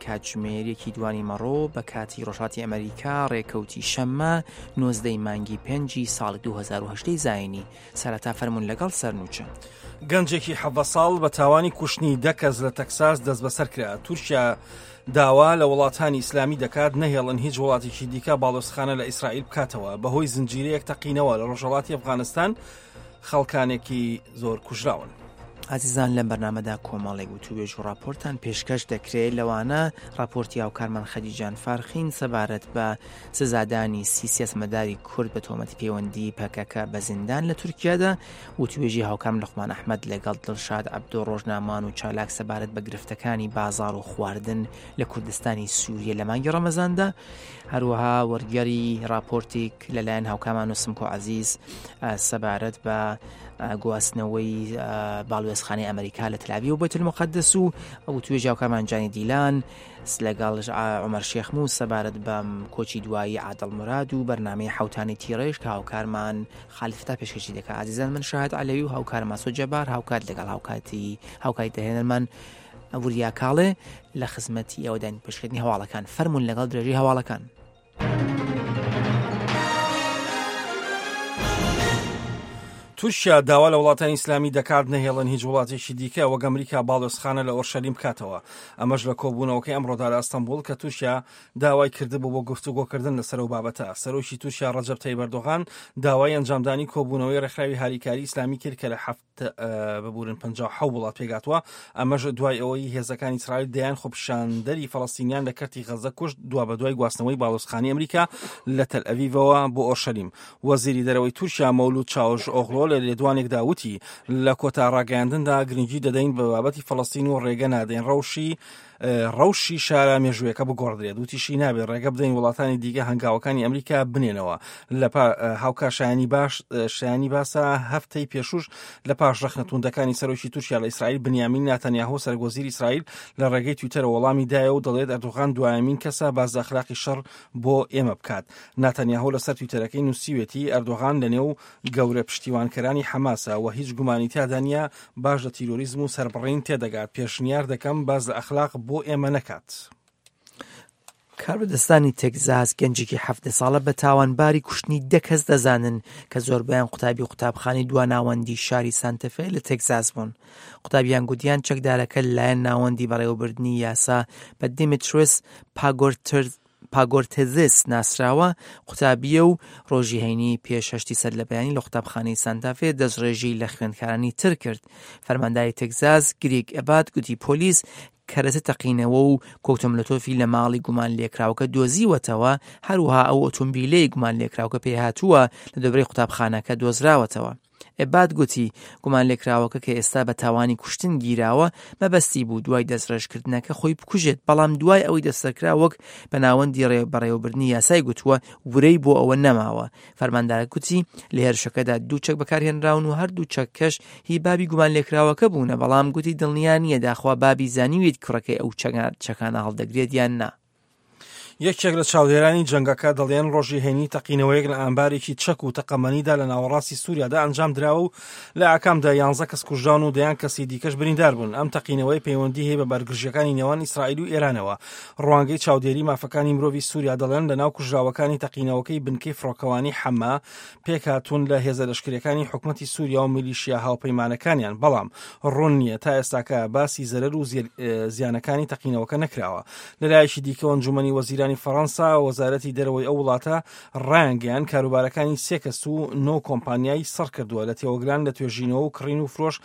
کاتژمێر یەکی دوانی مەڕۆ بە کاتی ڕۆژهەڵاتی ئەمریکا ڕێکەوتی شەممە نۆزدەی مانگی پێنجی ساڵی 2010 زایینی سەرەتا فەرمونون لەگەڵ سەرنوچە. گەنجێکی حەڤدە ساڵ بە تاوانی کوشتنی دە کەس لە تەکساس دەستبەسەر کرا. تورکیا داوا لە وڵاتانی ئیسلامی دەکات نەهێڵن هیچ وڵاتێکی دیکە باڵۆزخانە لە ئیسرائیل بکاتەوە. بەهۆی زنجیرەیەک تەقینەوە لە ڕۆژهەڵاتی ئەفغانستان خەڵکانێکی زۆر کوژراون. ئازیزان لەم بەرنامەدا کۆمەڵێک وتووێژ و ڕاپۆرتان پێشکەش دەکرێت لەوانە ڕاپۆرتی هاوکارمان خەدیجان فارخین سەبارەت بە سزادانی سی سیاسەتمەداری کورد بە تۆمەتی پەیوەندی پەکەکە بە زیندان لە تورکیادا وتوێژی هاوکارم لوقمان ئەحمەد لەگەڵ دڵشاد عەبدۆ ڕۆژنامەوان و چالاک سەبارەت بە گرفتەکانی بازاڕ و خواردن لە کوردستانی سووریە لە مانگی ڕەمەزاندا هەروەها وەرگێڕی راپۆرتێک لەلایەن هاوکامان و سمکۆ عەزیز سەبارەت بە گواستنەوەی باڵوێزخانەی ئەمریکا لە تەلاوی و بەیت المقدس و ئەو توێژی هاوکارمان جانی دیلان لەگەڵ عمر شێخموس سەبارەت بەم کۆچی دوایی عادڵ مراد و بەرنمەی حوتانی تیڕێژ کە هاوکارمان خالید فتا پێشکەشی دەکات ئازیزان من شاهد عەلەوی و هاوکارم ئاسۆ جەبار هاوکات لەگەڵ هاوکاتی هاوکاری دەهێنەرمان وریا کاڵێ لە خزمەتی ئێوەداین پێشکردنی هەواڵەکان فەرمونون لەگەڵ درێژەی هەواڵەکان. تورکیا داوا لە وڵاتانی ئیسلامی دەکات نەهێڵن هیچ وڵاتێکی دیکە وەک ئەمریکا باڵیۆزخانە لە ئۆرشەلیم بکاتەوە ئەمەش لە کۆبوونەوەکەی ئەمڕۆدا لە ئەستەنبوڵ کە تورکیا داوای کردبوو بۆ گفتوگۆکردن لەسەر ئەو بابەتە. سەرۆکی تورکیا ڕەجەب تەیب ئەردۆغان داوای ئەنجامدانی کۆبوونەوەی ڕێکخراوی هاریکاری ئیسلامی کرد کە لە هەفت ببورن 57 وڵات پێکهاتووە، ئەمەش دوای ئەوەی هێزەکانی ئیسرائیل دەیان خۆپیشاندەری فەڵەستینیان لە کەرتی غەززە کوشت دوابەدوای گواستنەوەی باڵۆزخانەی ئەمریکا لە تەلئەڤیڤەوە بۆ ئۆرشەلیم. وەزیری دەرەوەی تورکیا مەولود چاوش ئۆغلۆ لە لێدوانێکدا وتی، لە کۆتا ڕاگەیاندندا گرنگی دەدەین بە بابەتی فەڵەستین و ڕێگە نادەین ڕەوشی ڕەوشی شارە مێژوویەکە بگۆڕدرێت وتیشی نابێت ڕێگە بدەین وڵاتانی دیکە هەنگاوەکانی ئەمریکا بنێنەوە لە هاوکار شایانی باش شایانی باسە هەفتەی پێشوش لە پاش ڕەخنە توندەکانی سەرۆکی تورکیا لە ئیسرائیل بنیامین ناتەنیاهۆ سەرۆکوەزیری ئیسرائیل لە ڕێگەی تویتەرە وەڵامی دایە و دەڵێت ئەردۆغان دوایەمین کەسە باس لە ئەخلاقی شەڕ بۆ ئێمە بکات ناتەنیاهۆ لەسەر تویتەرەکەی نووسیوێتی ئەردۆغان لەنێو گەورە پشتیوانکەرانی حەماسە و هیچ گومانی تیادا نییە باش لە تیرۆریزم و سەربڕین تێدەگات، پێشنیار دەکەم باس لە ئەخلاق بۆ ئێمە نەکات. کاربەدەستانی تێکزاس گەنجێکی 17 ساڵە بە تاوانباری کوشتنی دە کەس دەزانن کە زۆربەیان قوتابی قوتابخانەی دواناوەندی شاری سانتەفێ لە تێکزاس بوون. قوتابیان گوتیان چەکدارەکە لەلایەن ناوەندی بەڕێوەبردنی یاسا بە دیمیترس پاگۆرترز پاگۆرتزس ناسراوە، قوتابییە و ڕۆژی هەینی پێش هەشتی سەرلەبەیانی لە قوتابخانەی سانتافێ دەستڕێژی لە خوێندکارانی تر کرد. فەرمانداری تێکزاس گریگ ئەبات گوتی پۆلیس کەرەسە تەقینەوە و کۆکتۆملۆتۆفی لە ماڵی گومانلێکراوەکە دۆزیوەتەوە، هەروەها ئەو ئۆتۆمبیلەی گومانلێکراوەکە پێیهاتووە لە دەورەی قوتابخانەکە دۆزراوەتەوە. ئەباد گوتی، گومانلێکراوەکە کە ئێستا بە تاوانی کوشتن گیراوە، مەبەستی بوو دوای دەستڕێژکردنەکە خۆی بکوژێت، بەڵام دوای ئەوەی دەستەرکرا وەک بە ناوەندی بەڕێوەبردنی یاسای گوتووە، ورەی بۆ ئەوە نەماوە. فەرماندارەکە گوتی، لە هێرشەکەدا دوو چەک بەکارهێنراون و هەردوو چەکەش هی بابی گومانلێکراوەکە بوونە، بەڵام گوتی دڵنیا نییە داخوا بابی زانیویەتی کوڕەکەی ئەو چەکانە هەڵدەگرێت یان نا. یەکێک لە چاودێرانی جەنگەکە دەڵێن ڕۆژی هەینی تەقینەوەیەک لە ئامبارێکی چەک و تەقەمەنیدا لە ناوەڕاستی سووریادا ئەنجام دراوە و لە ئاکامدا یانزە کەس کوژراون و دەیان کەسی دیکەش بریندار بوون. ئەم تەقینەوەی پەیوەندی هەیە بە بارگرژییەکانی نێوان ئیسرائیل و ئێرانەوە. ڕوانگەی چاودێری مافەکانی مرۆڤی سووریا دەڵێن لەناو کوژراوەکانی تەقینەوەکەی بنکەی فڕۆکەوانی حەما پێکهاتوون لە هێزە لەشکرییەکانی حکومەتی سووریا و میلیشیا هاوپەیمانەکانیان، بەڵام ڕوون نییە تا ئێستاکە باسی زەرەر و زیانەکانی تەقینەوەکە نەکراوە. لەلایەکی دیکەوە ئەنجومەنی وەزیرانی فەڕەنسا وەزارەتی دەرەوەی ئەو وڵاتە ڕایانگەیاند کاروبارەکانی سێ کەس و نۆ کۆمپانیای سڕ کردووە لە تێوەگلان لە توێژینەوە و کڕین و فرۆش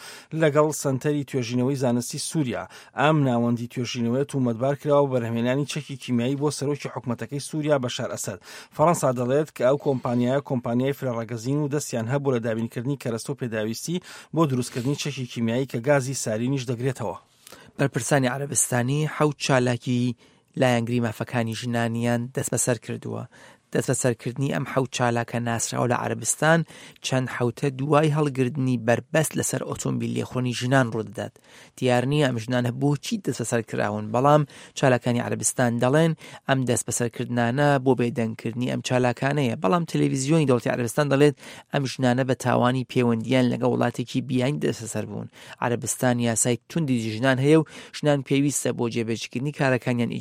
لەگەڵ سەنتەری توێژینەوەی زانستی سووریا. ئەم ناوەندی توێژینەوەیە تومەتبار کراوە بە بەرهەمهێنانی چەکی کیمیایی بۆ سەرۆکی حکومەتەکەی سووریا بەشار ئەسەد. فەڕەنسا دەڵێت کە ئەو کۆمپانیایە کۆمپانیای فرەڕەگەزین و دەستیان هەبوو لە دابینکردنی کەرەستە و پێداویستی بۆ دروستکردنی چەکی کیمیایی کە گازی سارینیش دەگرێتەوە. بەرپرسانی عەرەبستانی حەوت چالاکی لایەنگری مافەکانی ژنانیان دەستبەسەر کردووە. دەستبەسەرکردنی ئەم حەوت چالاکە ناسراوە لە عەرەبستان چەند حەوتە دوای هەڵگردنی بەربەست لەسەر ئۆتۆمبیل لێخوڕینی ژنان ڕوودەدات. دیار نییە ئەم ژنانە بۆچی دەستبەسەر کراون، بەڵام چالاکانی عەرەبستان دەڵێن ئەم دەستبەسەرکردنانە بۆ بێدەنگکردنی ئەم چالاکانەیە، بەڵام تەلەڤیزیۆنی دەوڵەتی عەرەبستان دەڵێت ئەم ژنانە بە تاوانی پەیوەندییان لەگەڵ وڵاتێکی بیانی دەستبەسەر بوون. عەرەبستان یاسای توندی دژی ژنان هەیە و ژنان پێویستە بۆ جێبەجێکردنی کارەکانیان ئیجازە.